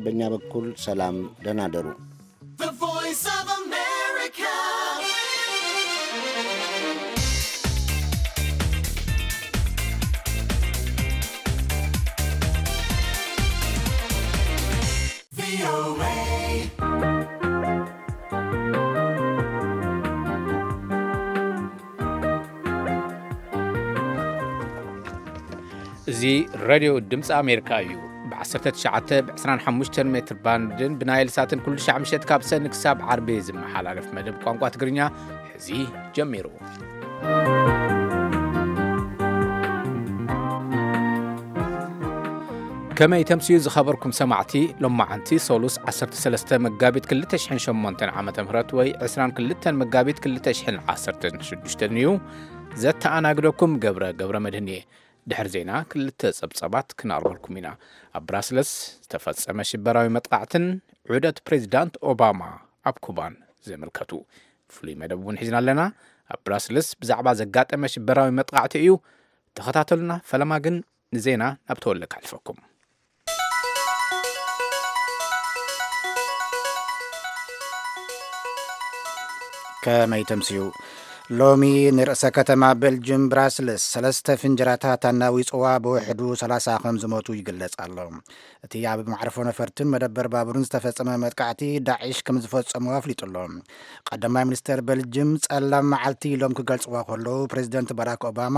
በኛ በኩል ሰላም፣ ደህና ደሩ። The Voice of America. እዚ ሬድዮ ድምፂ ኣሜሪካ እዩ። ብ19፣ ብ25 ሜትር ባንድን ብናይል ሳትን ኩሉ ሻዕ ምሸት ካብ ሰኒ ክሳብ ዓርቢ ዝመሓላለፍ መደብ ቋንቋ ትግርኛ ሕዚ ጀሚሩ። ከመይ ተምስዩ ዝኸበርኩም ሰማዕቲ፣ ሎማዓንቲ ሶሉስ 13 መጋቢት 2008 ዓ.ም ወይ 22 መጋቢት 2016 እዩ። ዘተኣናግደኩም ገብረ ገብረ መድህን እየ። ድሕሪ ዜና ክልተ ጸብጸባት ክናርበልኩም ኢና። ኣብ ብራስለስ ዝተፈጸመ ሽበራዊ መጥቃዕትን ዑደት ፕሬዚዳንት ኦባማ ኣብ ኩባን ዝምልከቱ ፍሉይ መደብ እውን ሒዝና ኣለና። ኣብ ብራስለስ ብዛዕባ ዘጋጠመ ሽበራዊ መጥቃዕቲ እዩ። ተኸታተሉና። ፈለማ ግን ንዜና ናብ ተወልደ ከሕልፈኩም። ከመይ ተምስዩ? ሎሚ ንርእሰ ከተማ ቤልጅም ብራስልስ ሰለስተ ፍንጀራታት ኣናዊጽዋ ብውሕዱ 30 ከም ዝሞቱ ይግለጽ ኣሎ። እቲ ኣብ መዕርፎ ነፈርትን መደበር ባቡርን ዝተፈጸመ መጥቃዕቲ ዳዒሽ ከም ዝፈጸሙ ኣፍሊጡ ኣሎ። ቀዳማይ ሚኒስተር ቤልጅም ጸላም መዓልቲ ኢሎም ክገልጽዋ ከለዉ፣ ፕሬዚደንት ባራክ ኦባማ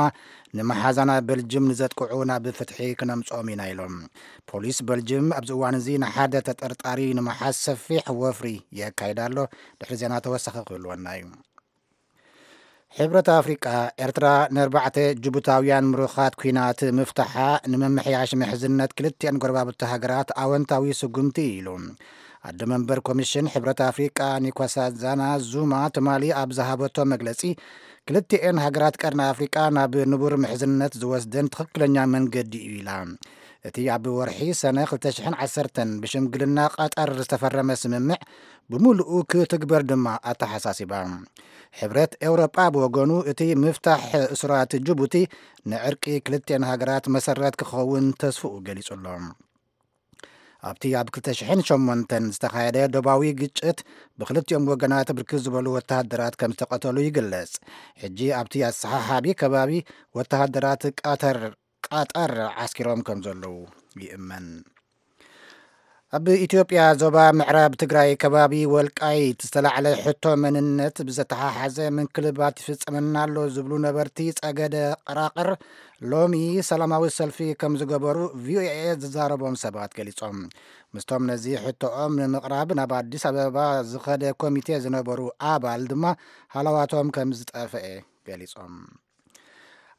ንመሓዛና ቤልጅም ንዘጥቅዑ ናብ ፍትሒ ክነምጽኦም ኢና ኢሎም። ፖሊስ ቤልጅም ኣብዚ እዋን እዚ ንሓደ ተጠርጣሪ ንምሓዝ ሰፊሕ ወፍሪ የካይድ ኣሎ። ድሕሪ ዜና ተወሳኺ ክህልወና እዩ። ሕብረት ኣፍሪቃ፣ ኤርትራ ንኣርባዕተ ጅቡታውያን ምሩኻት ኲናት ምፍታሓ ንምምሕያሽ ምሕዝነት ክልቲአን ጎረባብቲ ሃገራት ኣወንታዊ ስጉምቲ እዩ ኢሉ። ኣደ መንበር ኮሚሽን ሕብረት ኣፍሪቃ ኒኮሳዛና ዙማ ትማሊ ኣብ ዝሃበቶ መግለጺ፣ ክልቲኤን ሃገራት ቀርኒ ኣፍሪቃ ናብ ንቡር ምሕዝነት ዝወስደን ትኽክለኛ መንገዲ እዩ ኢላ። እቲ ኣብ ወርሒ ሰነ 2010 ብሽምግልና ቀጠር ዝተፈረመ ስምምዕ ብምሉኡ ክትግበር ድማ ኣተሓሳሲባ። ሕብረት ኤውሮጳ ብወገኑ፣ እቲ ምፍታሕ እሱራት ጅቡቲ ንዕርቂ ክልቲኤን ሃገራት መሰረት ክኸውን ተስፍኡ ገሊጹ ኣሎ። ኣብቲ ኣብ 2008 ዝተኻየደ ዶባዊ ግጭት ብክልቲኦም ወገናት ብርክት ዝበሉ ወተሃደራት ከም ዝተቐተሉ ይግለጽ። ሕጂ ኣብቲ ኣሰሓሓቢ ከባቢ ወተሃደራት ቀተር፣ ቀጠር ዓስኪሮም ከም ዘለዉ ይእመን። ኣብ ኢትዮጵያ ዞባ ምዕራብ ትግራይ ከባቢ ወልቃይት ዝተላዕለ ሕቶ መንነት ብዘተሓሓዘ ምንክልባት ይፍጸመና ኣሎ ዝብሉ ነበርቲ ጸገደ ቀራቕር ሎሚ ሰላማዊ ሰልፊ ከም ዝገበሩ ቪኦኤ ዝዛረቦም ሰባት ገሊጾም። ምስቶም ነዚ ሕቶኦም ንምቕራብ ናብ ኣዲስ ኣበባ ዝኸደ ኮሚቴ ዝነበሩ ኣባል ድማ ሃለዋቶም ከም ዝጠፍአ ገሊጾም።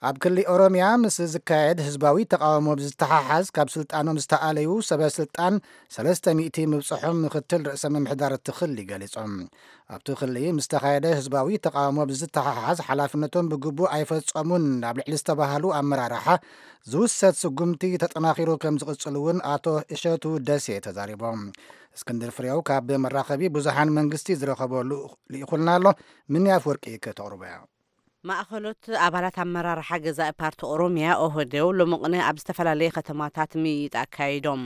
ኣብ ክሊ ኦሮሚያ ምስ ዝካየድ ህዝባዊ ተቃውሞ ብዝተሓሓዝ ካብ ስልጣኖም ዝተኣለዩ ሰበ ስልጣን 300 ምብጽሖም ምክትል ርእሰ ምምሕዳር እቲ ክሊ ገሊጾም። ኣብቲ ክሊ ምስ ተኻየደ ህዝባዊ ተቃውሞ ብዝተሓሓዝ ሓላፍነቶም ብግቡእ ኣይፈጸሙን ኣብ ልዕሊ ዝተባህሉ ኣመራርሓ ዝውሰድ ስጉምቲ ተጠናኺሩ ከም ዝቕጽል እውን ኣቶ እሸቱ ደሴ ተዛሪቦም። እስክንድር ፍሬው ካብ መራኸቢ ብዙሃን መንግስቲ ዝረኸበሉ ልኢኹልና ኣሎ። ምንያፍ ወርቂ ከተቕርቦ እያ። ማእኸሎት ኣባላት ኣመራርሓ ገዛኢ ፓርቲ ኦሮሚያ ኦህዴው ሎሚ ቅነ ኣብ ዝተፈላለየ ከተማታት ምይይጥ ኣካይዶም።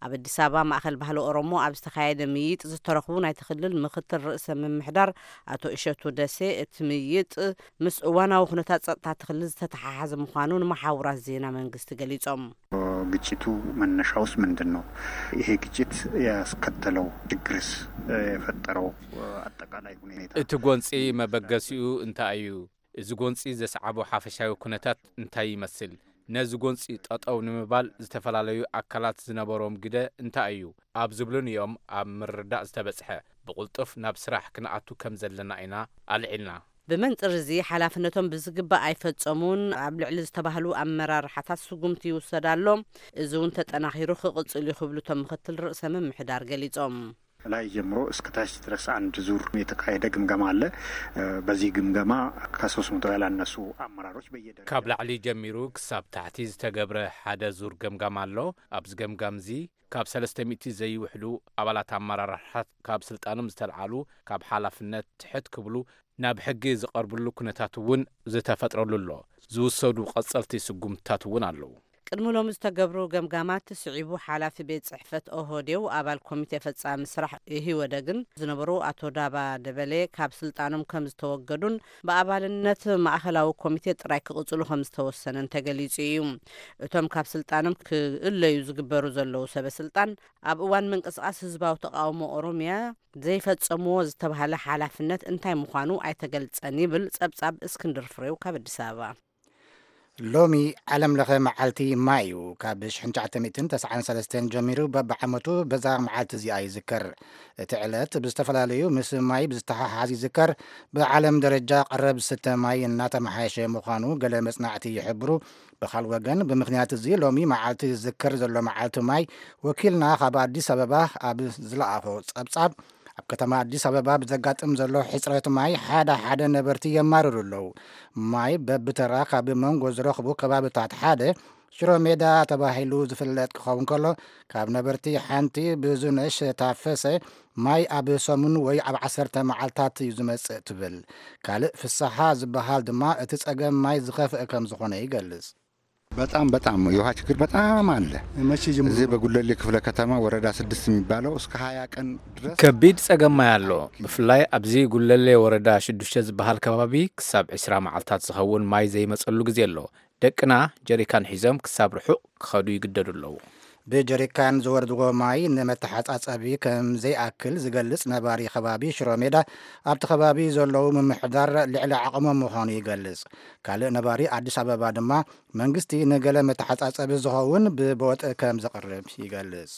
ኣብ ኣዲስ ኣበባ ማእኸል ባህሊ ኦሮሞ ኣብ ዝተኻየደ ምይይጥ ዝተረኽቡ ናይቲ ክልል ምክትል ርእሰ ምምሕዳር ኣቶ እሸቱ ደሴ፣ እቲ ምይይጥ ምስ እዋናዊ ኩነታት ጸጥታ እቲ ክልል ዝተተሓሓዘ ምዃኑ ንመሓውራት ዜና መንግስቲ ገሊጾም። ግጭቱ መነሻውስ ምንድን ነው? ይሄ ግጭት ያስከተለው ችግርስ፣ የፈጠረው አጠቃላይ ሁኔታ? እቲ ጎንጺ መበገሲኡ እንታይ እዩ? እዚ ጎንጺ ዘስዓቦ ሓፈሻዊ ኩነታት እንታይ ይመስል? ነዚ ጎንጺ ጠጠው ንምባል ዝተፈላለዩ ኣካላት ዝነበሮም ግደ እንታይ እዩ? ኣብ ዝብሉን እዮም ኣብ ምርዳእ ዝተበጽሐ። ብቕልጡፍ ናብ ስራሕ ክንኣቱ ከም ዘለና ኢና ኣልዒልና። ብመንጽር እዚ ሓላፍነቶም ብዝግባእ ኣይፈጸሙን ኣብ ልዕሊ ዝተባህሉ ኣመራርሓታት ስጉምቲ ይውሰድ ኣሎ። እዚ እውን ተጠናኺሩ ክቕጽል እዩ ክብሉ እቶም ምክትል ርእሰ ምምሕዳር ገሊጾም። ላይ ጀምሮ እስከ ታች ድረስ አንድ ዙር የተካሄደ ግምገማ አለ። በዚህ ግምገማ ከ300 ያላነሱ አመራሮች በየደረጃው ካብ ላዕሊ ጀሚሩ ክሳብ ታሕቲ ዝተገብረ ሓደ ዙር ገምጋም ኣሎ። ኣብዚ ገምጋም እዚ ካብ 300 ዘይውሕዱ ኣባላት ኣመራርሓታት ካብ ስልጣኖም ዝተልዓሉ፣ ካብ ሓላፍነት ትሕት ክብሉ ናብ ሕጊ ዝቐርብሉ ኩነታት እውን ዝተፈጥረሉ ኣሎ። ዝውሰዱ ቀጸልቲ ስጉምትታት እውን ኣለዉ። ቅድሚ ሎሚ ዝተገብሩ ገምጋማት ስዒቡ፣ ሓላፊ ቤት ጽሕፈት ኦህዴው ኣባል ኮሚቴ ፈጻሚ ስራሕ ኢህወደግን ዝነበሩ ኣቶ ዳባ ደበሌ ካብ ስልጣኖም ከም ዝተወገዱን ብኣባልነት ማእኸላዊ ኮሚቴ ጥራይ ክቕጽሉ ከም ዝተወሰነን ተገሊጹ እዩ። እቶም ካብ ስልጣኖም ክእለዩ ዝግበሩ ዘለዉ ሰበ ስልጣን፣ ኣብ እዋን ምንቅስቓስ ህዝባዊ ተቓውሞ ኦሮምያ ዘይፈጸምዎ ዝተባህለ ሓላፍነት እንታይ ምዃኑ ኣይተገልጸን ይብል ጸብጻብ እስክንድር ፍሬው ካብ ኣዲስ ኣበባ። ሎሚ ዓለም ለኸ መዓልቲ ማይ እዩ። ካብ ሽሕን ትሽዓተ ሚእትን ተስዓን ሰለስተን ጀሚሩ በብዓመቱ በዛ መዓልቲ እዚኣ ይዝከር። እቲ ዕለት ብዝተፈላለዩ ምስ ማይ ብዝተሓሓዝ ይዝከር። ብዓለም ደረጃ ቀረብ ዝስተ ማይ እናተመሓየሸ ምዃኑ ገለ መጽናዕቲ ይሕብሩ። ብኻል ወገን ብምኽንያት እዚ ሎሚ መዓልቲ ዝዝከር ዘሎ መዓልቲ ማይ ወኪልና ካብ ኣዲስ ኣበባ ኣብ ዝለኣኾ ጸብጻብ ኣብ ከተማ ኣዲስ ኣበባ ብዘጋጥም ዘሎ ሕፅረት ማይ ሓደ ሓደ ነበርቲ የማርሩ ኣለዉ። ማይ በብተራ ካብ መንጎ ዝረኽቡ ከባብታት ሓደ ሽሮ ሜዳ ተባሂሉ ዝፍለጥ ክኸውን ከሎ ካብ ነበርቲ ሓንቲ ብዙነሽ ታፈሰ ማይ ኣብ ሰሙን ወይ ኣብ ዓሰርተ መዓልታት እዩ ዝመጽእ ትብል። ካልእ ፍስሓ ዝበሃል ድማ እቲ ጸገም ማይ ዝኸፍእ ከም ዝኾነ ይገልጽ። በጣም በጣም የውሃ ችግር በጣም አለ። መቼ ጀምሮ እዚህ በጉለሌ ክፍለ ከተማ ወረዳ ስድስት የሚባለው እስከ ሀያ ቀን ድረስ ከቢድ ጸገም ማይ ኣሎ። ብፍላይ ኣብዚ ጉለሌ ወረዳ ሽዱሽተ ዝበሃል ከባቢ ክሳብ ዕስራ መዓልታት ዝኸውን ማይ ዘይመጸሉ ግዜ ኣሎ። ደቅና ጀሪካን ሒዞም ክሳብ ርሑቕ ክኸዱ ይግደዱ ኣለዉ። ብጀሪካን ዝወርድዎ ማይ ንመተሓጻጸቢ ከም ዘይኣክል ዝገልጽ ነባሪ ከባቢ ሽሮ ሜዳ፣ ኣብቲ ከባቢ ዘለዉ ምምሕዳር ልዕሊ ዓቕሞም ምዃኑ ይገልጽ። ካልእ ነባሪ ኣዲስ ኣበባ ድማ መንግስቲ ንገለ መተሓጻጸቢ ዝኸውን ብቦጥ ከም ዘቕርብ ይገልጽ።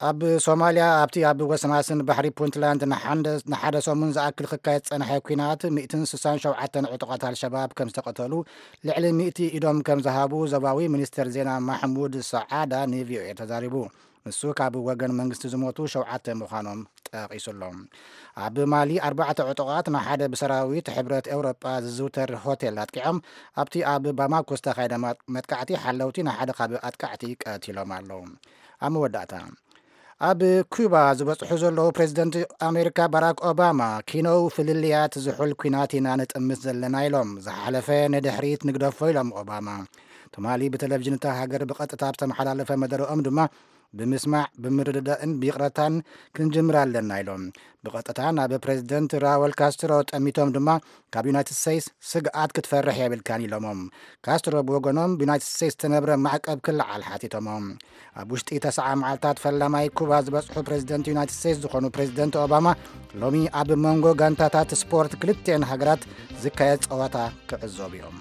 ኣብ ሶማልያ ኣብቲ ኣብ ወሰናስን ባሕሪ ፑንትላንድ ንሓንደ- ንሓደ ሰሙን ዝኣክል ክካየድ ዝጸንሐ ኲናት ሚእትን ስሳን ሸውዓተን ዕጡቓት ኣልሸባብ ከም ዝተቐተሉ ልዕሊ ሚእቲ ኢዶም ከም ዝሃቡ ዞባዊ ሚኒስትር ዜና ማሕሙድ ሰዓዳ ንቪኦኤ ተዛሪቡ። ንሱ ካብ ወገን መንግስቲ ዝሞቱ ሸውዓተ ምዃኖም ጠቒሱሎም። ኣብ ማሊ ኣርባዕተ ዕጡቓት ንሓደ ብሰራዊት ሕብረት ኤውሮጳ ዝዝውተር ሆቴል ኣጥቂዖም ኣብቲ ኣብ ባማኮ ዝተኻየደ መጥቃዕቲ ሓለውቲ ንሓደ ካብ ኣጥቃዕቲ ቀቲሎም ኣለዉ። ኣብ መወዳእታ ኣብ ኩባ ዝበፅሑ ዘለዉ ፕሬዚደንት ኣሜሪካ ባራክ ኦባማ ኪነው ፍልልያት ዝሑል ኲናት ኢና ንጥምት ዘለና ኢሎም። ዝሓለፈ ንድሕሪት ንግደፎ ኢሎም ኦባማ። ትማሊ ብቴሌቪዥን እታ ሃገር ብቐጥታ ዝተመሓላለፈ መደረኦም ድማ ብምስማዕ ብምርድዳእን ብይቕረታን ክንጅምር ኣለና ኢሎም። ብቐጥታ ናብ ፕሬዚደንት ራወል ካስትሮ ጠሚቶም ድማ ካብ ዩናይትድ ስቴትስ ስግኣት ክትፈርሕ የብልካን ኢሎሞም። ካስትሮ ብወገኖም ብዩናይትድ ስቴትስ ዝተነብረ ማዕቀብ ክለዓል ሓቲቶሞም። ኣብ ውሽጢ ተስዓ መዓልታት ፈላማይ ኩባ ዝበፅሑ ፕሬዚደንት ዩናይትድ ስቴትስ ዝኾኑ ፕሬዚደንት ኦባማ ሎሚ ኣብ መንጎ ጋንታታት ስፖርት ክልቲኤን ሃገራት ዝካየድ ፀዋታ ክዕዘቡ እዮም።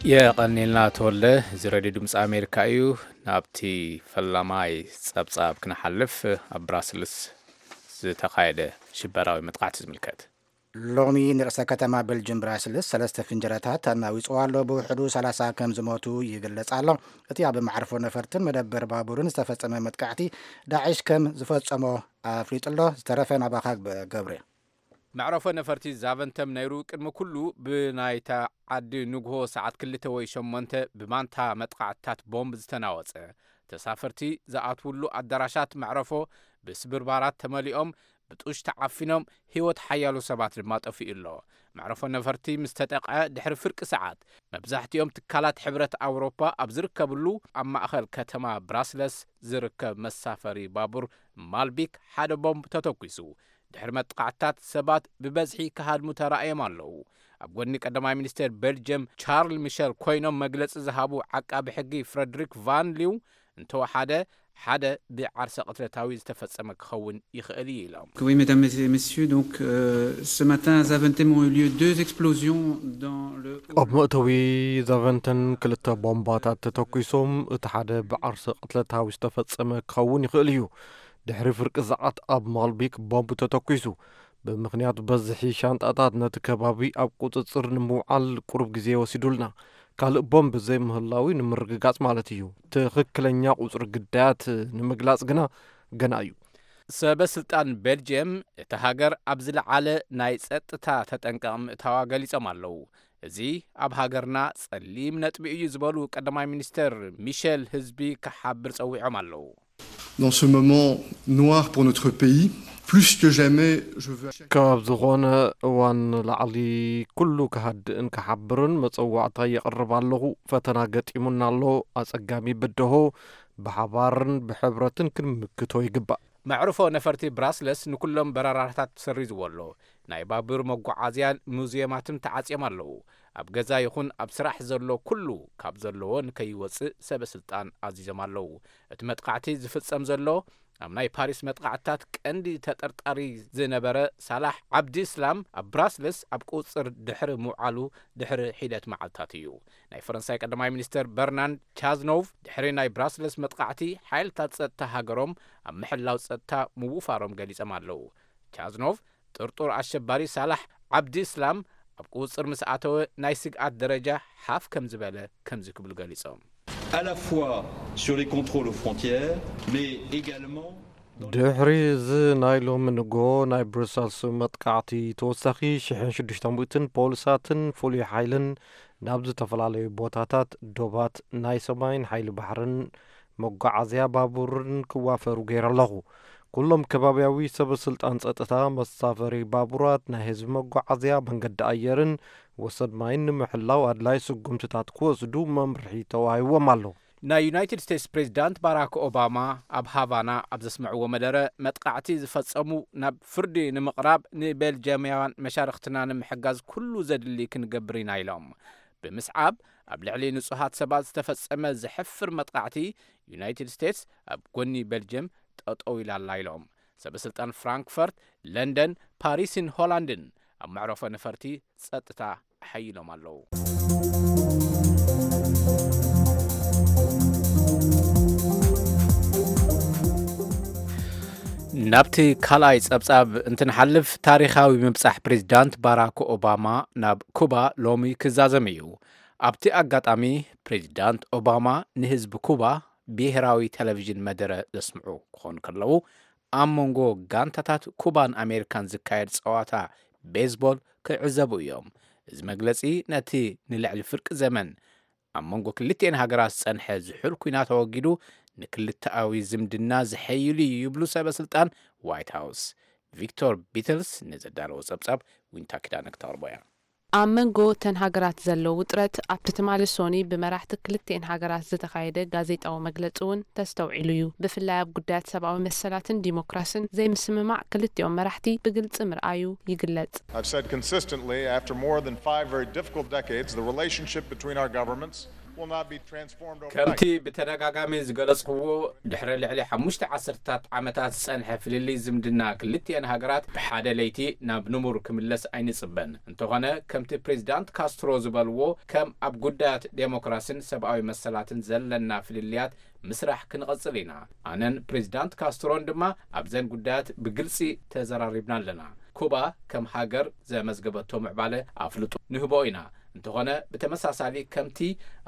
የቐኒልና ተወልደ። እዚ ሬድዮ ድምፂ ኣሜሪካ እዩ። ናብቲ ፈላማይ ጸብጻብ ክንሓልፍ፣ ኣብ ብራስልስ ዝተኻየደ ሽበራዊ መጥቃዕቲ ዝምልከት። ሎሚ ንርእሰ ከተማ ቤልጅም ብራስልስ ሰለስተ ፍንጀረታት ኣናዊጽዎ ኣሎ። ብውሕዱ ሰላሳ ከም ዝሞቱ ይግለጽ ኣሎ። እቲ ኣብ መዕርፎ ነፈርትን መደበር ባቡርን ዝተፈጸመ መጥቃዕቲ ዳዕሽ ከም ዝፈጸሞ ኣፍሊጡ ኣሎ። ዝተረፈ ናባኻ ገብሬ። መዕረፎ ነፈርቲ ዛቨንተም ነይሩ። ቅድሚ ኩሉ ብናይታ ዓዲ ንግሆ ሰዓት ክልተ ወይ ሸሞንተ ብማንታ መጥቓዕትታት ቦምብ ዝተናወጸ። ተሳፈርቲ ዝኣትውሉ ኣዳራሻት መዕረፎ ብስብርባራት ተመሊኦም፣ ብጡሽ ተዓፊኖም፣ ህይወት ሓያሎ ሰባት ድማ ጠፊኡ ኣሎ። መዕረፎ ነፈርቲ ምስ ተጠቕዐ ድሕሪ ፍርቂ ሰዓት፣ መብዛሕትኦም ትካላት ሕብረት ኣውሮፓ ኣብ ዝርከብሉ ኣብ ማእኸል ከተማ ብራስለስ ዝርከብ መሳፈሪ ባቡር ማልቢክ ሓደ ቦምብ ተተኲሱ። ድሕሪ መጥቃዕትታት ሰባት ብበዝሒ ክሃድሙ ተራእዮም ኣለዉ። ኣብ ጎኒ ቀዳማይ ሚኒስቴር ቤልጅየም ቻርል ሚሸል ኮይኖም መግለጺ ዝሃቡ ዓቃቢ ሕጊ ፍረድሪክ ቫን ሊው፣ እንተወሓደ ሓደ ብዓርሰ ቅትለታዊ ዝተፈጸመ ክኸውን ይኽእል እዩ ኢሎም። Oui, mesdames et messieurs, donc euh, ce matin à Zaventem ont eu lieu deux explosions dans le... ኣብ መእተዊ ዛቨንተን ክልተ ቦምባታት ተተኲሶም፣ እቲ ሓደ ብዓርሰ ቅትለታዊ ዝተፈጸመ ክኸውን ይኽእል እዩ። ድሕሪ ፍርቂ ሰዓት ኣብ ማልቢክ ቦምብ ተተኲሱ። ብምኽንያት በዝሒ ሻንጣታት ነቲ ከባቢ ኣብ ቁጽጽር ንምውዓል ቁሩብ ግዜ ወሲዱልና። ካልእ ቦምብ ዘይምህላዊ ንምርግጋጽ ማለት እዩ። ትኽክለኛ ቁጽሪ ግዳያት ንምግላጽ ግና ገና እዩ። ሰበ ስልጣን ቤልጅየም እታ ሃገር ኣብ ዝለዓለ ናይ ጸጥታ ተጠንቀቕ ምእታዋ ገሊጾም ኣለዉ። እዚ ኣብ ሃገርና ጸሊም ነጥቢ እዩ ዝበሉ ቀዳማይ ሚኒስተር ሚሸል ህዝቢ ክሓብር ጸዊዖም ኣለዉ። Dans ce moment noir pour notre pays, plus que jamais, je veux... ካብ ዝኾነ እዋን ንላዕሊ ኩሉ ክሃድእን ክሓብርን መጸዋዕታ የቕርብ ኣለኹ። ፈተና ገጢሙና ኣሎ። ኣጸጋሚ ብድሆ ብሓባርን ብሕብረትን ክንምክቶ ይግባእ። መዕርፎ ነፈርቲ ብራስለስ ንኩሎም በረራታት ሰሪዝዎ ኣሎ። ናይ ባቡር መጓዓዝያን ሙዝየማትን ተዓጽዮም ኣለዉ። ኣብ ገዛ ይኹን ኣብ ስራሕ ዘሎ ኩሉ ካብ ዘለዎ ንከይወጽእ ሰበ ስልጣን ኣዚዞም ኣለዉ። እቲ መጥቃዕቲ ዝፍጸም ዘሎ ኣብ ናይ ፓሪስ መጥቃዕትታት ቀንዲ ተጠርጣሪ ዝነበረ ሳላሕ ዓብዲ እስላም ኣብ ብራስለስ ኣብ ቁጽር ድሕሪ ምውዓሉ ድሕሪ ሒደት መዓልታት እዩ። ናይ ፈረንሳይ ቀዳማይ ሚኒስተር በርናንድ ቻዝኖቭ ድሕሪ ናይ ብራስለስ መጥቃዕቲ ሓይልታት ጸጥታ ሃገሮም ኣብ ምሕላው ጸጥታ ምውፋሮም ገሊጾም ኣለዉ። ቻዝኖቭ ጥርጡር ኣሸባሪ ሳላሕ ዓብዲ እስላም ኣብ ቁጽር ምስ ኣተወ ናይ ስግኣት ደረጃ ሓፍ ከም ዝበለ ከምዚ ክብሉ ገሊጾም። À la fois sur les contrôles aux frontières, mais également ድሕሪ እዚ ናይ ሎሚ ንጎ ናይ ብሩሰልስ መጥቃዕቲ ተወሳኺ ሽሕን ሽዱሽተ ሚእትን ፖሊሳትን ፍሉይ ሓይልን ናብ ዝተፈላለዩ ቦታታት ዶባት ናይ ሰማይን ሓይሊ ባሕርን መጓዓዝያ ባቡርን ክዋፈሩ ገይረ ኣለኹ። ኩሎም ከባብያዊ ሰበ ስልጣን ጸጥታ፣ መሳፈሪ ባቡራት፣ ናይ ህዝቢ መጓዓዝያ፣ መንገዲ ኣየርን ወሰን ማይን ንምሕላው ኣድላይ ስጉምትታት ክወስዱ መምርሒ ተዋሂዎም ኣሎ። ናይ ዩናይትድ ስቴትስ ፕሬዚዳንት ባራክ ኦባማ ኣብ ሃቫና ኣብ ዘስምዕዎ መደረ፣ መጥቃዕቲ ዝፈጸሙ ናብ ፍርዲ ንምቕራብ ንቤልጅያማውያን መሻርኽትና ንምሕጋዝ ኩሉ ዘድሊ ክንገብር ኢና ኢሎም። ብምስዓብ ኣብ ልዕሊ ንጹሃት ሰባት ዝተፈጸመ ዘሕፍር መጥቃዕቲ፣ ዩናይትድ ስቴትስ ኣብ ጎኒ ቤልጅየም ጠጠው ኢላ ኣላ ኢሎም። ሰበ ስልጣን ፍራንክፈርት፣ ለንደን፣ ፓሪስን ሆላንድን ኣብ መዕረፎ ነፈርቲ ጸጥታ ኣሐይሎም ኣለዉ። ናብቲ ካልኣይ ጸብጻብ እንትንሓልፍ፣ ታሪኻዊ ምብጻሕ ፕሬዚዳንት ባራክ ኦባማ ናብ ኩባ ሎሚ ክዛዘም እዩ። ኣብቲ ኣጋጣሚ ፕሬዚዳንት ኦባማ ንህዝቢ ኩባ ብሄራዊ ቴሌቪዥን መደረ ዘስምዑ ክኾኑ ከለዉ፣ ኣብ መንጎ ጋንታታት ኩባን ኣሜሪካን ዝካየድ ጸዋታ ቤዝቦል ክዕዘቡ እዮም። እዚ መግለጺ ነቲ ንልዕሊ ፍርቂ ዘመን ኣብ መንጎ ክልቲኤን ሃገራት ዝጸንሐ ዝሑል ኲናት ኣወጊዱ፣ ንክልተኣዊ ዝምድና ዘሐይሉ እዩ ይብሉ ሰበ ስልጣን ዋይት ሃውስ። ቪክቶር ቢትልስ ንዘዳለዎ ጸብጻብ ዊንታ ኪዳነ ክተቕርቦ እያ። ኣብ መንጎ እተን ሃገራት ዘሎ ውጥረት ኣብቲ ትማሊ ሶኒ ብመራሕቲ ክልቲኤን ሃገራት ዝተኻየደ ጋዜጣዊ መግለጺ እውን ተስተውዒሉ እዩ። ብፍላይ ኣብ ጉዳያት ሰብኣዊ መሰላትን ዲሞክራስን ዘይምስምማዕ ክልቲኦም መራሕቲ ብግልጺ ምርኣዩ ይግለጽ። I've said consistently, after more than five very difficult decades, the relationship between our governments will not be transformed overnight. ከምቲ ብተደጋጋሚ ዝገለጽክዎ፣ ድሕሪ ልዕሊ ሓሙሽተ ዓሰርታት ዓመታት ዝጸንሐ ፍልልይ ዝምድና ክልቲኤን ሃገራት ብሓደ ለይቲ ናብ ንቡር ክምለስ ኣይንጽበን። እንተኾነ፣ ከምቲ ፕሬዚዳንት ካስትሮ ዝበልዎ፣ ከም ኣብ ጉዳያት ዴሞክራስን ሰብኣዊ መሰላትን ዘለና ፍልልያት ምስራሕ ክንቐጽል ኢና። ኣነን ፕሬዚዳንት ካስትሮን ድማ ኣብዘን ጉዳያት ብግልጺ ተዘራሪብና ኣለና። ኩባ ከም ሃገር ዘመዝገበቶ ምዕባለ ኣፍልጦ ንህቦ ኢና። እንተኾነ፣ ብተመሳሳሊ ከምቲ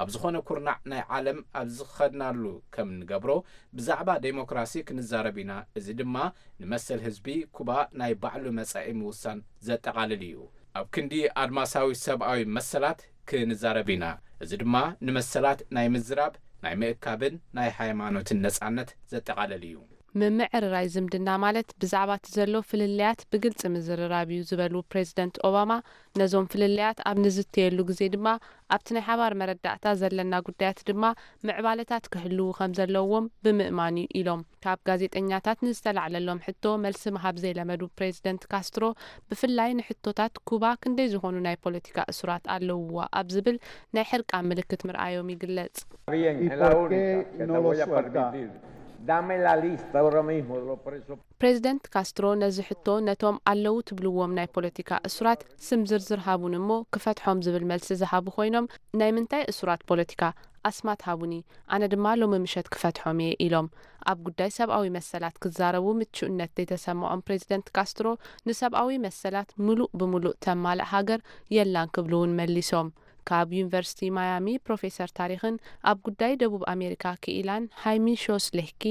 ኣብ ዝኾነ ኩርናዕ ናይ ዓለም ኣብ ዝኸድናሉ ከም እንገብሮ፣ ብዛዕባ ዴሞክራሲ ክንዛረብ ኢና። እዚ ድማ ንመሰል ህዝቢ ኩባ ናይ ባዕሉ መጻኢ ምውሳን ዘጠቓልል እዩ። ኣብ ክንዲ ኣድማሳዊ ሰብኣዊ መሰላት ክንዛረብ ኢና። እዚ ድማ ንመሰላት ናይ ምዝራብ፣ ናይ ምእካብን ናይ ሃይማኖትን ነጻነት ዘጠቓልል እዩ። ምምዕርራይ ዝምድና ማለት ብዛዕባ እቲ ዘሎ ፍልልያት ብግልጺ ምዝርራብ እዩ ዝበሉ ፕሬዚደንት ኦባማ፣ ነዞም ፍልልያት ኣብ ንዝተየሉ ግዜ ድማ ኣብቲ ናይ ሓባር መረዳእታ ዘለና ጉዳያት ድማ ምዕባለታት ክህልዉ ከም ዘለዎም ብምእማን እዩ ኢሎም። ካብ ጋዜጠኛታት ንዝተላዕለሎም ሕቶ መልሲ ምሃብ ዘይለመዱ ፕሬዚደንት ካስትሮ፣ ብፍላይ ንሕቶታት ኩባ ክንደይ ዝኾኑ ናይ ፖለቲካ እሱራት ኣለውዋ ኣብ ዝብል ናይ ሕርቃን ምልክት ምርኣዮም ይግለጽ። Bien, es la única que te voy a permitir. Dame la lista ahora mismo de los presos. ፕሬዚደንት ካስትሮ ነዚ ሕቶ ነቶም ኣለዉ ትብልዎም ናይ ፖለቲካ እሱራት ስም ዝርዝር ሃቡኒ እሞ ክፈትሖም ዝብል መልሲ ዝሃቡ ኮይኖም፣ ናይ ምንታይ እሱራት ፖለቲካ? ኣስማት ሃቡኒ፣ ኣነ ድማ ሎሚ ምሸት ክፈትሖም እየ ኢሎም። ኣብ ጉዳይ ሰብኣዊ መሰላት ክዛረቡ ምቹእነት ዘይተሰምዖም ፕሬዚደንት ካስትሮ፣ ንሰብኣዊ መሰላት ምሉእ ብምሉእ ተማልእ ሃገር የላን ክብሉ እውን መሊሶም። ካብ ዩኒቨርሲቲ ማያሚ ፕሮፌሰር ታሪኽን ኣብ ጉዳይ ደቡብ ኣሜሪካ ክኢላን ሃይሚ ሾስሌህኪ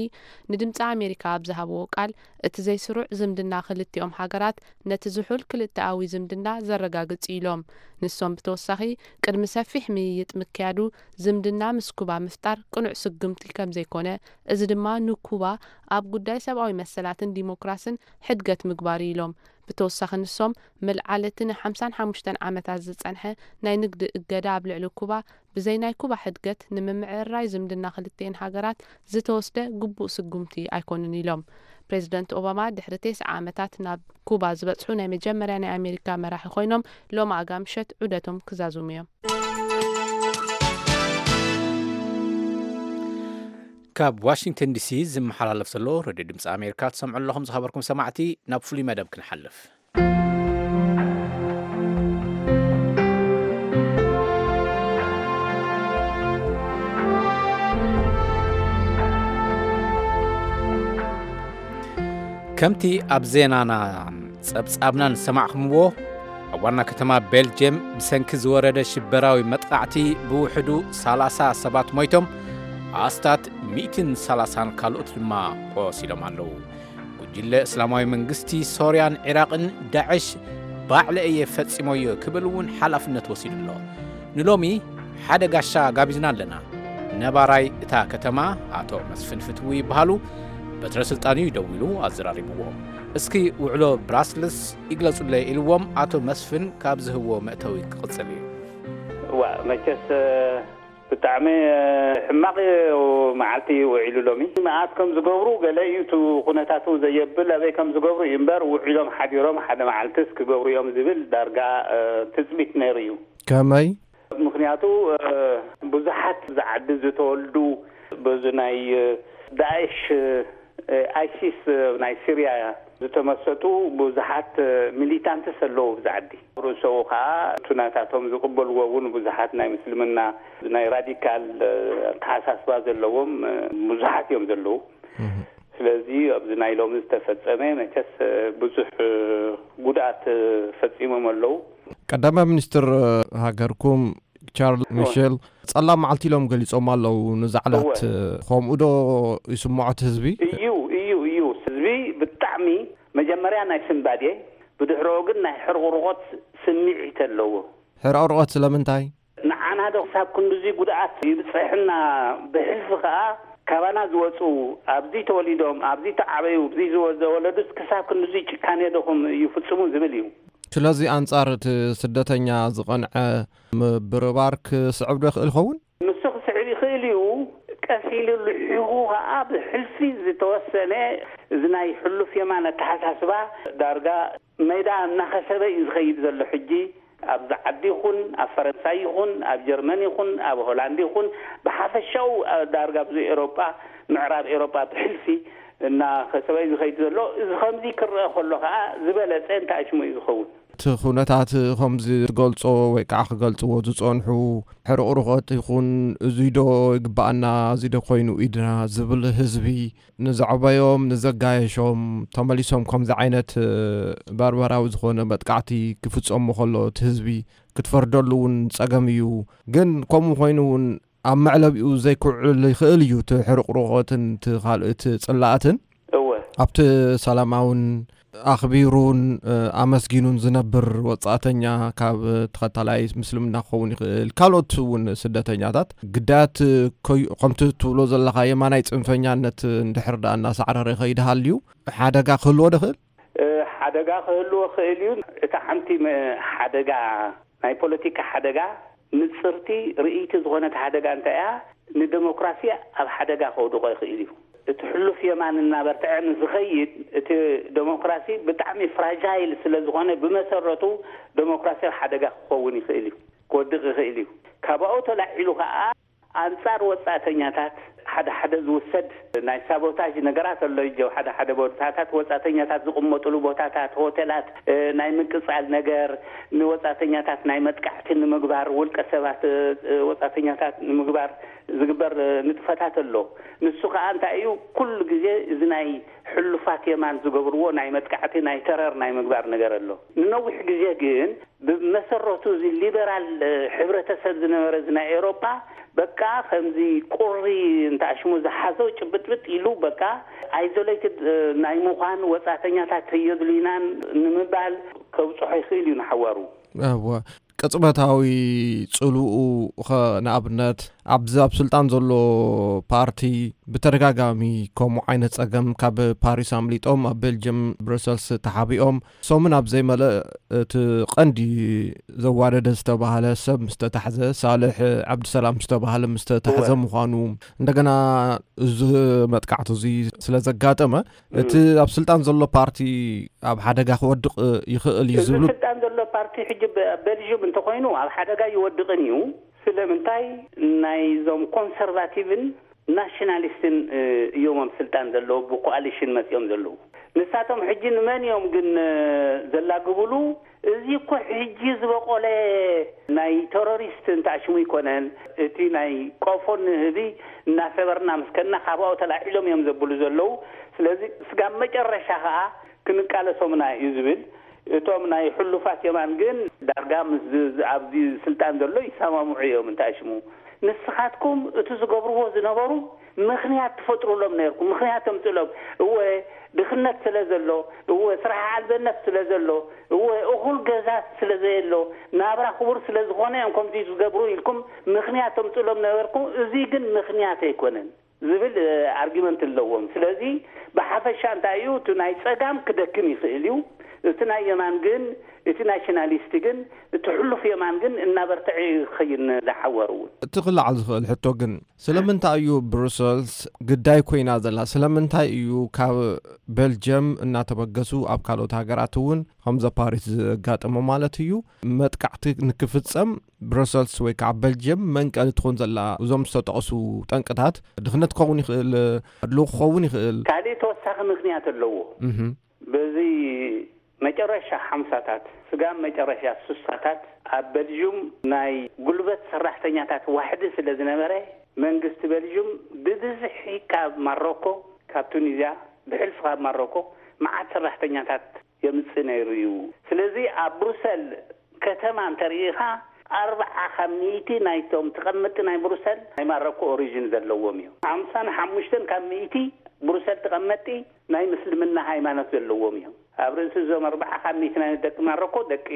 ንድምፂ ኣሜሪካ ኣብ ዝሃብዎ ቃል፣ እቲ ዘይስሩዕ ዝምድና ክልቲኦም ሃገራት ነቲ ዝሑል ክልተኣዊ ዝምድና ዘረጋግጽ እዩ ኢሎም። ንሶም ብተወሳኺ፣ ቅድሚ ሰፊሕ ምይይጥ ምክያዱ ዝምድና ምስ ኩባ ምፍጣር ቅኑዕ ስጉምቲ ከም ዘይኮነ፣ እዚ ድማ ንኩባ ኣብ ጉዳይ ሰብኣዊ መሰላትን ዲሞክራስን ሕድገት ምግባር እዩ ኢሎም። ብተወሳኺ ንሶም፣ ምልዓል እቲ ንሓምሳን ሓሙሽተን ዓመታት ዝጸንሐ ናይ ንግዲ እገዳ ኣብ ልዕሊ ኩባ፣ ብዘይ ናይ ኩባ ሕድገት ንምምዕርራይ ዝምድና ክልቲኤን ሃገራት ዝተወስደ ግቡእ ስጉምቲ ኣይኮኑን ኢሎም። ፕሬዚደንት ኦባማ ድሕሪ ተስዓ ዓመታት ናብ ኩባ ዝበጽሑ ናይ መጀመርያ ናይ ኣሜሪካ መራሒ ኮይኖም፣ ሎሚ ኣጋ ምሸት ዑደቶም ክዛዝሙ እዮም። ካብ ዋሽንግተን ዲሲ ዝመሓላለፍ ዘሎ ሬድዮ ድምፂ ኣሜሪካ ትሰምዑ ኣለኹም። ዝኸበርኩም ሰማዕቲ፣ ናብ ፍሉይ መደብ ክንሓልፍ። ከምቲ ኣብ ዜናናን ጸብጻብናን ዝሰማዕኹምዎ፣ ኣብ ዋና ከተማ ቤልጅየም ብሰንኪ ዝወረደ ሽበራዊ መጥቓዕቲ ብውሕዱ ሰላሳ ሰባት ሞይቶም፣ ኣስታት ሚእትን ሰላሳን ካልኦት ድማ ቆሲሎም ኣለዉ። ጉጅለ እስላማዊ መንግስቲ ሶርያን ዒራቕን፣ ዳዕሽ፣ ባዕለ እየ ፈጺሞዮ ክብል እውን ሓላፍነት ወሲዱ ኣሎ። ንሎሚ ሓደ ጋሻ ጋቢዝና ኣለና። ነባራይ እታ ከተማ ኣቶ መስፍን ፍትዊ ይበሃሉ። በትረ ስልጣን እዩ ደው ኢሉ ኣዘራሪብዎ። እስኪ ውዕሎ ብራስልስ ይግለጹለይ ኢልዎም ኣቶ መስፍን ካብ ዝህብዎ መእተዊ ክቕጽል እዩ። ዋ መቸስ ብጣዕሚ ሕማቕ መዓልቲ እዩ ውዒሉ ሎሚ። መኣስ ከም ዝገብሩ ገለ እዩ እቲ ኩነታቱ ዘየብል ኣበይ ከም ዝገብሩ እዩ እምበር ውዒሎም ሓዲሮም ሓደ መዓልትስ ክገብሩ እዮም ዝብል ዳርጋ ትፅቢት ነይሩ እዩ። ከመይ? ምኽንያቱ ብዙሓት ዝዓዲ ዝተወልዱ በዚ ናይ ዳእሽ ኣይሲስ ናይ ሲርያ ዝተመሰጡ ብዙሓት ሚሊታንትስ ኣለዉ ኣብዚ ዓዲ። ርእሰኡ ከዓ እቲ ናታቶም ዝቕበልዎ እውን ብዙሓት ናይ ምስልምና ናይ ራዲካል ኣተሓሳስባ ዘለዎም ብዙሓት እዮም ዘለዉ። ስለዚ ኣብዚ ናይ ሎሚ ዝተፈጸመ መቸስ ብዙሕ ጉድኣት ፈጺሞም ኣለዉ። ቀዳማይ ሚኒስትር ሃገርኩም ቻርል ሚሼል ጸላም መዓልቲ ኢሎም ገሊጾም ኣለዉ። ነዛ ዕለት ከምኡ ዶ ይስምዖ እቲ ህዝቢ? እዩ እዩ እዩ ህዝቢ ብጣዕሚ መጀመርያ ናይ ስንባዴ ብድሕረኡ ግን ናይ ሕርቑርቖት ስምዒት ኣለዎ። ሕርቑርቖት ስለምንታይ? ንዓና ዶ ክሳብ ክንድዚ ጉድኣት ይብፀሐና ብሕልፊ ከዓ ካባና ዝወፁ ኣብዚ ተወሊዶም ኣብዚ ተዓበዩ ኣብዚ ዝወ- ዘወለዱስ ክሳብ ክንድዚ ጭካኔ ዶ ከም ይፍፅሙ ዝብል እዩ። ስለዚ ኣንጻር እቲ ስደተኛ ዝቐንዐ ምብርባር ክስዕብ ዶ ይኽእል ይኸውን? ንሱ ክስዕብ ይኽእል እዩ። ቀስ ኢሉ ልሒኹ ኸዓ ብሕልፊ ዝተወሰነ እዚ ናይ ሕሉፍ የማን ኣተሓሳስባ ዳርጋ ሜዳ እናኸሰበ እዩ ዝኸይድ ዘሎ። ሕጂ ኣብዚ ዓዲ ይኹን ኣብ ፈረንሳይ ይኹን ኣብ ጀርመን ይኹን ኣብ ሆላንድ ይኹን ብሓፈሻኡ ዳርጋ ኣብዚ ኤሮጳ ምዕራብ ኤሮጳ ብሕልፊ እናኸሰበ እዩ ዝኸይድ ዘሎ። እዚ ከምዚ ክረአ ከሎ ኸዓ ዝበለፀ እንታይ ሽሙ እዩ ዝኸውን? እቲ ኩነታት ከምዚ ትገልጾ ወይ ከዓ ክገልጽዎ ዝጸንሑ ሕርቕሩቐት ይኹን እዙይ ዶ ይግበኣና እዙይ ዶ ኮይኑ ኢድና ዝብል ህዝቢ ንዘዕበዮም ንዘጋየሾም ተመሊሶም ከምዚ ዓይነት ባርባራዊ ዝኾነ መጥቃዕቲ ክፍጸሞ ከሎ እቲ ህዝቢ ክትፈርደሉ እውን ጸገም እዩ። ግን ከምኡ ኮይኑ እውን ኣብ መዕለቢኡ ዘይክውዕል ይኽእል እዩ። እቲ ሕርቕሩቐትን እቲ ካልእ እቲ ጽላእትን እወ ኣብቲ ሰላማውን ኣኽቢሩን ኣመስጊኑን ዝነብር ወጻእተኛ ካብ ተኸታላይ ምስልምና ክኸውን ይኽእል፣ ካልኦት እውን ስደተኛታት ግዳያት ከምቲ ትብሎ ዘለኻ የማናይ ጽንፈኛነት እንድሕር ደኣ እናሳዕረረ ይኸይድ ሃልዩ ሓደጋ ክህልዎ ዶ ይኽእል? ሓደጋ ክህልዎ ይኽእል እዩ። እታ ሓንቲ ሓደጋ ናይ ፖለቲካ ሓደጋ ንጽርቲ ርእይቲ ዝኾነት ሓደጋ እንታይ እያ? ንደሞክራሲ ኣብ ሓደጋ ከውድቖ ይኽእል እዩ። እቲ ሕሉፍ የማን እናበርትዐ ንዝኸይድ እቲ ደሞክራሲ ብጣዕሚ ፍራጃይል ስለ ዝኾነ ብመሰረቱ ደሞክራሲ ኣብ ሓደጋ ክኸውን ይኽእል እዩ፣ ክወድቕ ይኽእል እዩ። ካባኡ ተላዒሉ ከኣ ኣንጻር ወጻእተኛታት ሓደ ሓደ ዝውሰድ ናይ ሳቦታጅ ነገራት ኣሎ። ጀው ሓደ ሓደ ቦታታት ወጻእተኛታት ዝቕመጥሉ ቦታታት፣ ሆቴላት ናይ ምቅጻል ነገር፣ ንወጻእተኛታት ናይ መጥቃዕቲ ንምግባር፣ ውልቀ ሰባት ወጻእተኛታት ንምግባር ዝግበር ንጥፈታት ኣሎ። ንሱ ከዓ እንታይ እዩ? ኩሉ ግዜ እዚ ናይ ሕሉፋት የማን ዝገብርዎ ናይ መጥቃዕቲ፣ ናይ ተረር ናይ ምግባር ነገር ኣሎ። ንነዊሕ ግዜ ግን ብመሰረቱ እዚ ሊበራል ሕብረተሰብ ዝነበረ እዚ ናይ ኤውሮጳ በቃ ከምዚ ቁሪ እንተኣሽሙ ዝሓዞ ጭብጥብጥ ኢሉ በቃ ኣይዞሌትድ ናይ ምዃን፣ ወጻተኛታት የድልዩናን ንምባል ከብጽሖ ይኽእል እዩ ንሓዋሩ። እወ። ቅጽበታዊ ጽልኡ ኸ ንኣብነት ኣብዚ ኣብ ስልጣን ዘሎ ፓርቲ ብተደጋጋሚ ከምኡ ዓይነት ጸገም ካብ ፓሪስ ኣምሊጦም ኣብ ቤልጅየም ብሩሰልስ ተሓቢኦም ሰሙን ኣብ ዘይመልእ እቲ ቀንዲ ዘዋደደ ዝተባህለ ሰብ ምስ ተታሕዘ ሳልሕ ዓብድሰላም ዝተባህለ ምስ ተታሕዘ እወ። ምዃኑ እንደገና እዚ መጥቃዕቲ እዚ ስለ ዘጋጠመ እቲ ኣብ ስልጣን ዘሎ ፓርቲ ኣብ ሓደጋ ክወድቕ ይኽእል እዩ እዚ ዝብሉ ስልጣን ዘሎ ፓርቲ ሕጂ በ- ቤልጅዩም እንተኮይኑ ኣብ ሓደጋ ይወድቕን እዩ። ስለምንታይ? ናይዞም ኮንሰርቫቲቭን ናሽናሊስትን እዮም ኣብ ስልጣን ዘለዉ፣ ብኮኣሊሽን መፂኦም ዘለዉ። ንሳቶም ሕጂ ንመን እዮም ግን ዘላግብሉ? እዚ እኮ ሕጂ ዝበቆለ ናይ ቴሮሪስት እንተኣሽሙ ይኮነን። እቲ ናይ ቆፎን ንህቢ እናሰበርና ምስከና ካብኡ ተላዒሎም እዮም ዘብሉ ዘለዉ። ስለዚ ስጋብ መጨረሻ ከዓ ክንቃለሶምና እዩ ዝብል። እቶም ናይ ሕሉፋት የማን ግን ዳርጋ ምስ ኣብዚ ስልጣን ዘሎ ይሰማምዑ እዮም እንተኣሽሙ። ንስኻትኩም እቲ ዝገብርዎ ዝነበሩ ምኽንያት ትፈጥሩሎም ነርኩም፣ ምኽንያት ተምፅሎም። እወ ድኽነት ስለ ዘሎ፣ እወ ስራሕ ኣልበነት ስለ ዘሎ፣ እወ እኹል ገዛ ስለ ዘየሎ፣ ናብራ ክቡር ስለ ዝኾነ እዮም ከምዚ ዝገብሩ ኢልኩም ምኽንያት ተምፅሎም ነበርኩም። እዚ ግን ምኽንያት ኣይኮነን ዝብል ኣርጊመንት ኣለዎም። ስለዚ ብሓፈሻ እንታይ እዩ እቲ ናይ ፀጋም ክደክም ይኽእል እዩ፣ እቲ ናይ የማን ግን እቲ ናሽናሊስት ግን እቲ ሕሉፍ የማን ግን እናበርትዐ ይኸይድ ንዝሓወር እውን። እቲ ክለዓል ዝኽእል ሕቶ ግን ስለምንታይ እዩ ብሩሰልስ ግዳይ ኮይና ዘላ? ስለምንታይ እዩ ካብ ቤልጅየም እናተበገሱ ኣብ ካልኦት ሃገራት እውን ከምዘ ፓሪስ ዘጋጠመ ማለት እዩ መጥቃዕቲ ንክፍጸም ብሩሰልስ ወይ ከዓ ቤልጅየም መንቀሊ ትኾን ዘላ? እዞም ዝተጠቕሱ ጠንቅታት ድኽነት ክኸውን ይኽእል፣ ኣድልዎ ክኸውን ይኽእል። ካልእ ተወሳኺ ምኽንያት ኣለዎ። እህ በዚ መጨረሻ ሓምሳታት ስጋብ መጨረሻ ስሳታት ኣብ በልዥም ናይ ጉልበት ሰራሕተኛታት ዋሕዲ ስለ ዝነበረ መንግስቲ በልዥም ብብዝሒ ካብ ማሮኮ ካብ ቱኒዝያ ብሕልፊ ካብ ማሮኮ መዓት ሰራሕተኛታት የምፅእ ነይሩ እዩ። ስለዚ ኣብ ብሩሰል ከተማ እንተርኢኻ ኣርብዓ ካብ ሚእቲ ናይቶም ተቐመጥቲ ናይ ብሩሰል ናይ ማሮኮ ኦሪጅን ዘለዎም እዮም። ሓምሳን ሓሙሽተን ካብ ሚእቲ ብሩሰል ተቐመጥቲ ናይ ምስልምና ሃይማኖት ዘለዎም እዮም። ኣብ ርእሲ እዞም ኣርብዓ ካብ ሚእቲ ናይ ደቂ ማሮኮ ደቂ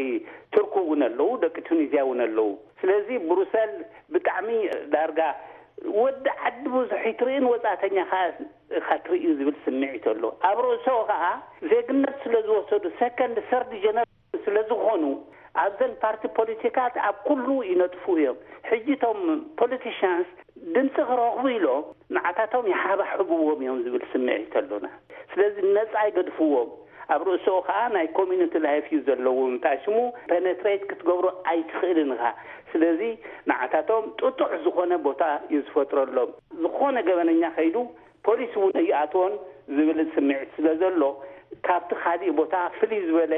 ቱርክ እውን ኣለዉ፣ ደቂ ቱኒዝያ እውን ኣለዉ። ስለዚ ብሩሰል ብጣዕሚ ዳርጋ ወዲ ዓዲ ብዙሕ ይትርእን ወፃእተኛ ኢኻ ትርኢ ዝብል ስምዒት ኣሎ። ኣብ ርእሶ ከዓ ዜግነት ስለ ዝወሰዱ ሰከንድ ሰርድ ጀነር ስለ ዝኾኑ ኣብዘን ፓርቲ ፖለቲካት ኣብ ኩሉ ይነጥፉ እዮም። ሕጂ እቶም ፖለቲሽያንስ ድምፂ ክረኽቡ ኢሎም ንዓታቶም ይሓባሕብዎም እዮም ዝብል ስምዒት ኣሎና። ስለዚ ነፃ ይገድፍዎም። ኣብ ርእሶ ከዓ ናይ ኮሚኒቲ ላይፍ እዩ ዘለዎም። እንታይ ሽሙ ፔኔትሬት ክትገብሮ ኣይትኽእልን ኢኻ። ስለዚ ንዓታቶም ጥጡሕ ዝኾነ ቦታ እዩ ዝፈጥረሎም። ዝኾነ ገበነኛ ከይዱ ፖሊስ እውን ይኣትዎን ዝብል ስምዒት ስለ ዘሎ ካብቲ ካሊእ ቦታ ፍልይ ዝበለ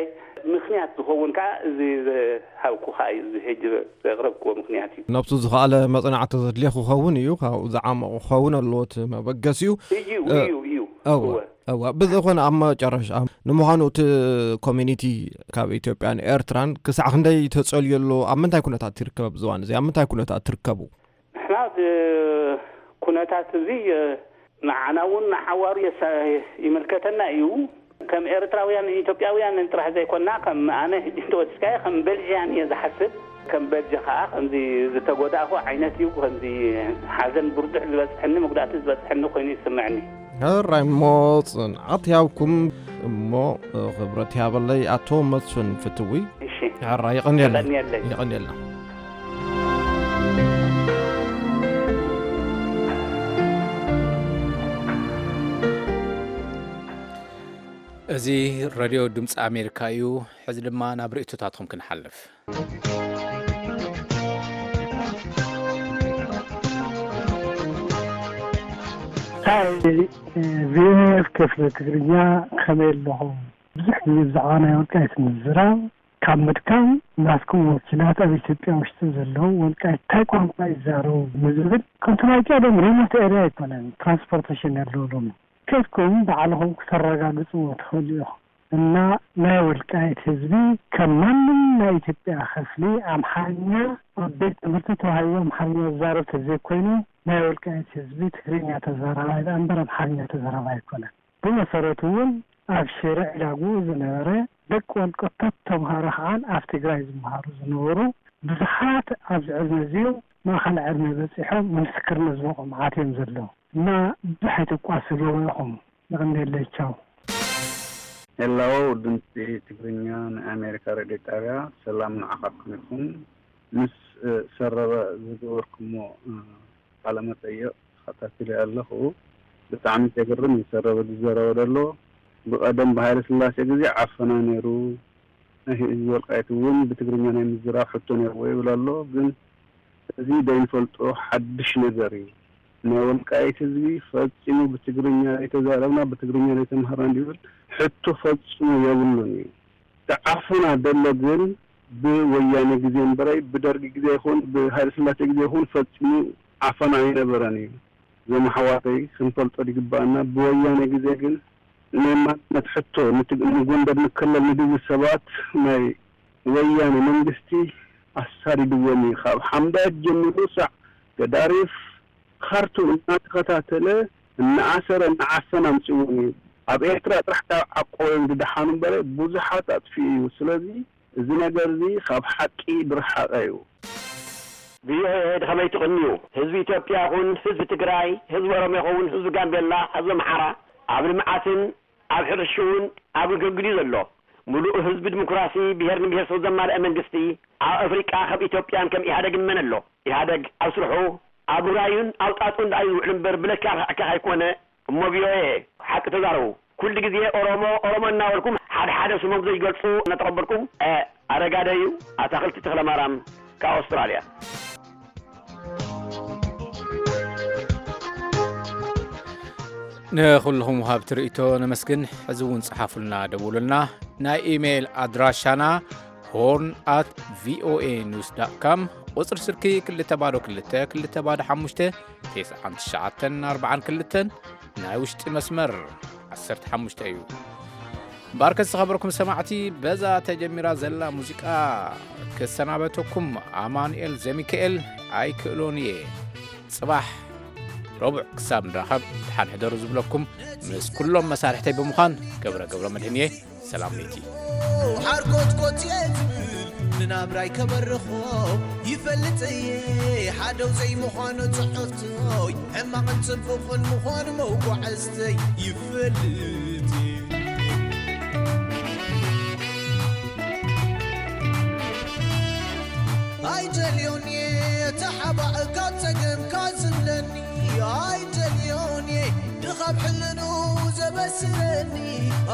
ምኽንያት ዝኸውን ከዓ እዚ ዝሃብኩኻ እዩ። እዚ ሕጂ ዘቕረብክዎ ምኽንያት እዩ። ነብሱ ዝኸኣለ መጽናዕቲ ዘድልዮ ክኸውን እዩ። ካብኡ ዝዓመቑ ክኸውን ኣለዎ እቲ መበገሲኡ። እዩ እ፣ እዩ እዩ እወ እወ። እወ። ብዝኾነ ኣብ መጨረሻ ንምዃኑ እቲ ኮሚኒቲ ካብ ኢትዮጵያን ኤርትራን ክሳዕ ክንደይ ተጸልዩ ኣሎ? ኣብ ምንታይ ኩነታት ትርከብ ኣብዚ እዋን እዚ? ኣብ ምንታይ ኩነታት ትርከቡ? ንሕና እቲ ኩነታት እዚ ንዓና እውን ንሓዋሩ የሳ- ይምልከተና እዩ። ከም ኤርትራውያን ኢትዮጵያውያን ጥራሕ ዘይኮና ከም ኣነ ሕጂ እንተወሲድካዮ ከም በልዥያን እየ ዝሓስብ። ከም በልጂ ከዓ ከምዚ ዝተጎዳእኩ ዓይነት እዩ። ከምዚ ሓዘን ብርዱሕ ዝበፅሐኒ መጉዳእቲ ዝበፅሐኒ ኮይኑ ይስምዐኒ። ሕራይ እሞ ጽንዓት ይሃብኩም እሞ ክብረት ይሃበለይ ኣቶ መስፍን ፍትዊ። እሺ። ሕራይ የቐንየልና። የቐንየለይ። የቐንየልና። እዚ ሬድዮ ድምፂ ኣሜሪካ እዩ። ሕዚ ድማ ናብ ርእይቶታትኩም ክንሓልፍ። ቪኦኤ ክፍሊ ትግርኛ ከመይ ኣለኹም? ብዙሕ ግዜ ብዛዕባ ናይ ወልቃይት ምዝራብ ካብ ምድካም ናትኩም ወኪላት ኣብ ኢትዮጵያ ውሽጢ ዘለዉ ወልቃይት እንታይ ቋንቋ ይዛረቡ ንዝብል፣ ከምቲ ናይ ቀደም ሪሞት ኤርያ ኣይኮነን ትራንስፖርቴሽን ያለውሎም። ከድኩም ባዕልኹም ክተረጋግጽዎ ትኽእሉ ኢኹም። እና ናይ ወልቃይት ህዝቢ ከም ማንም ናይ ኢትዮጵያ ክፍሊ ኣምሓርኛ ኣብ ቤት ትምህርቲ ተዋሂቡ ኣምሓርኛ ዝዛረብ ተዘይኮይኑ፣ ናይ ወልቃይት ህዝቢ ትግርኛ ተዛራባይ ደኣ እምበር ኣምሓርኛ ተዛራባይ ኣይኮነን። ብመሰረቱ እውን ኣብ ሽረ ዕዳጉ ዝነበረ ደቂ ወልቀቶት ተምሃሮ ከዓን ኣብ ትግራይ ዝመሃሩ ዝነበሩ ብዙሓት ኣብዚ ዕድመ እዚኦም ማእኸል ዕድመ በፂሖም ንምስክርነት ዝበቑ መዓት እዮም ዘለዉ። እና ብዙሕ ኣይተቋስልዎ ኢኹም። የቐንየለይ። ቻው። ሄሎ፣ ድምፂ ትግርኛ ናይ ኣሜሪካ ሬድዮ ጣብያ፣ ሰላም ንዓኻትኩም ይኹን። ምስ፣ እ፣ ሰረበ ዝገበርኩሞ፣ እ፣ ቃለ መጠይቕ ተኸታቲለ ኣለኹ። ብጣዕሚ ዘግርም እዩ ሰረበ ዝዘረበ ዘሎ። ብቐደም ብሃይለ ስላሴ ግዜ ዓፈና ነይሩ። ናይ ህዝቢ ወልቃይት እውን ብትግርኛ ናይ ምዝራብ ሕቶ ነይርዎ ይብል ኣሎ። ግን እዚ ዘይንፈልጦ ሓድሽ ነገር እዩ። ናይ ወልቃይት ህዝቢ ፈጺሙ ብትግርኛ ዘይተዛረብና፣ ብትግርኛ ዘይተምሃርና እንዲብል ሕቶ ፈጺሙ የብሉን እዩ። እቲ ዓፈና ደሎ ግን ብወያነ ግዜ እምበረይ ብደርጊ ግዜ ይኹን ብሃይለ ስላሴ ግዜ ይኹን ፈጺሙ ዓፈና ኣይነበረን እዩ። እዞም ኣሕዋተይ ክንፈልጦ ዝግባኣና፣ ብወያነ ግዜ ግን ናይ ማንነት ሕቶ ንትግ-፣ ንጎንደር ንከለል ንድብል ሰባት ናይ ወያነ መንግስቲ ኣሳዲድዎም እዩ። ካብ ሓምዳየት ጀሚሩ ሳዕ ገዳሪፍ፣ ካርቱም እናተኸታተለ እናኣሰረ እናዓፈነ ኣምፅዎም እዩ። ኣብ ኤርትራ ጥራሕ ካብ ዓቆቦም ዝደሓኑ እምበረ ብዙሓት ኣጥፊኡ እዩ። ስለዚ እዚ ነገር እዚ ካብ ሓቂ ዝረሓቐ እዩ። ቪኦኤ፣ ከመይ ትቕንዩ? ህዝቢ ኢትዮጵያ ይኹን ህዝቢ ትግራይ፣ ህዝቢ ኦሮሞ ይኸውን ህዝቢ ጋምቤላ፣ ህዝቢ ኣምሓራ ኣብ ልምዓትን ኣብ ሕርሽኡን ኣብ ግልግል እዩ ዘሎ። ምሉእ ህዝቢ ዲሞክራሲ ብሄርን ብሄረሰብ ዘማልአ መንግስቲ ኣብ ኣፍሪቃ ከም ኢትዮጵያን ከም ኢህኣደግን መን ኣሎ? ኢህኣደግ ኣብ ስርሑ ኣብ ራዩን ኣብ ጣጥኡን ደኣ እዩ ዝውዕል እምበር ብለካ ርሕዕካ ኣይኮነ። እሞ ቪኦኤ ሓቂ ተዛረቡ። ኩሉ ግዜ ኦሮሞ ኦሮሞ እናበልኩም ሓደ ሓደ ስሞም ዘይገልጹ እናተቐበልኩም፣ እ፣ ኣረጋደዩ ኣታኽልቲ ተኽለማርያም ካብ ኣውስትራልያ። ንኹልኹም ወሃብቲ ርእይቶ ነመስግን። ሕዚ እውን ጸሓፉልና፣ ደውሉልና። ናይ ኢሜይል ኣድራሻና ሆርን ኣት ቪኦኤ ኒውስ ዳት ካም፣ ቁጽሪ ስልኪ ክልተ ባዶ ክልተ ክልተ ባዶ ሓሙሽተ ተስዓን ትሽዓተን ኣርባዓን ክልተን፣ ናይ ውሽጢ መስመር ዓሰርተ ሓሙሽተ እዩ። እምበኣርከስ ዝኸበርኩም ሰማዕቲ፣ በዛ ተጀሚራ ዘላ ሙዚቃ ክሰናበተኩም ኣማኑኤል ዘሚካኤል ኣይክእሎን እየ። ጽባሕ ረቡዕ ክሳብ ንራኸብ ደሓን ሕደሩ ዝብለኩም ምስ ኩሎም መሳርሕተይ ብምዃን ገብረ ገብረ መድህን እየ። ሰላም ለይቲ። ሓርኮትኮት እየ ዝብል ንናብራይ ከበርኾ ይፈልጥ እየ። ሓደው ዘይምዃኑ ጽሕፍቶይ ሕማቕን ጽቡቕን ምዃኑ መጓዕዝተይ ይፈልጥ እየ። ኣይደልዮን እየ ተሓባእካ ጸገምካ ዝብለኒ። ኣይደልዮን እየ ድኻብ ሕልኑ ዘበስረኒ።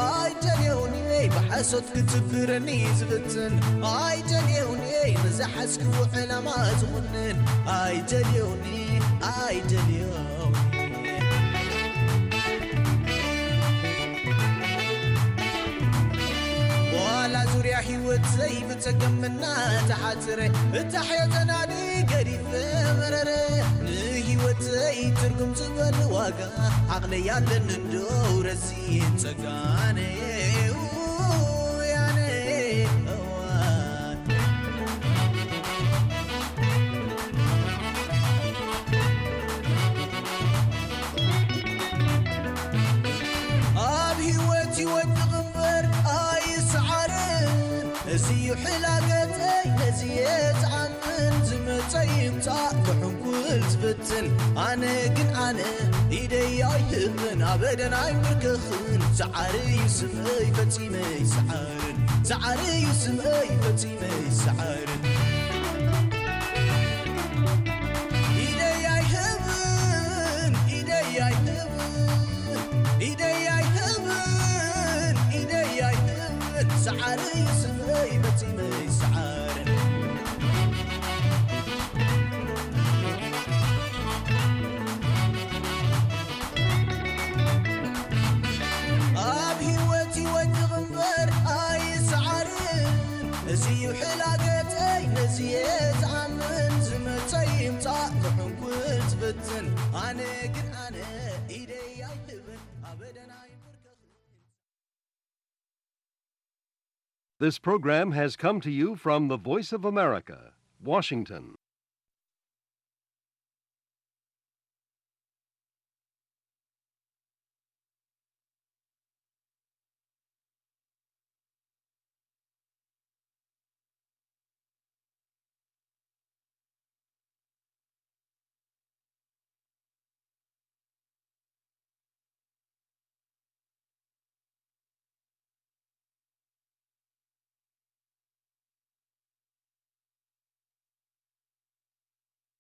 ኣይደልዮን እየ ብሓሶት ክትብረኒ ዝፍትን። ኣይደልዮን እየ ንዝሓዝክዎ ዕላማ ዝኹንን። ኣይደልዮን እየ፣ ኣይደልዮን እየ። ዋላ ዙርያ ህይወት ዘይብጸገም እናተሓጽረ፣ እታ ሕዮ ተናዲ ገዲፈ መረረ። ንህይወተይ ትርጉም ዝበል ዋጋ ዓቕለይ ኣለኒ እንዶ ረዚን ጸጋነ። ያነ እዋን ኣብ ህይወት ይወድቕ እምበር ኣይሰዓርን። እዚ እዩ ሕላገተይ፣ ነዚ እየ ዝኣምን። ዝመጸ ይምጻእ ክሕንኩል ዝፍትን። ኣነ ግን ኣነ ኢደይ ኣይህብን፣ ኣበደን ኣይምርክኽን። ሰዓሪ እዩ ስመይ ፈጺመ ይሰዓርን። ሰዓሪ እዩ ስመይ ፈጺመ ይሰዓርን። ኢደይ ኣይህብን፣ ኢደይ ኣይህብን፣ ኢደይ ኣይህብን፣ ኢደይ ኣይህብን። ሰዓሪ እዩ ስመይ ፈጺመ ይሰዓርን። ኣብ ህይወት ይወድቕ እምበር ኣይሰዓርን። እዚ ጻእ ክሕንኩል ዝፍትን ኣነ ግን ኣነ ኢደይ ኣይህብን ኣበደን ኣይንበርከኽን። This program has come to you from the Voice of America, Washington.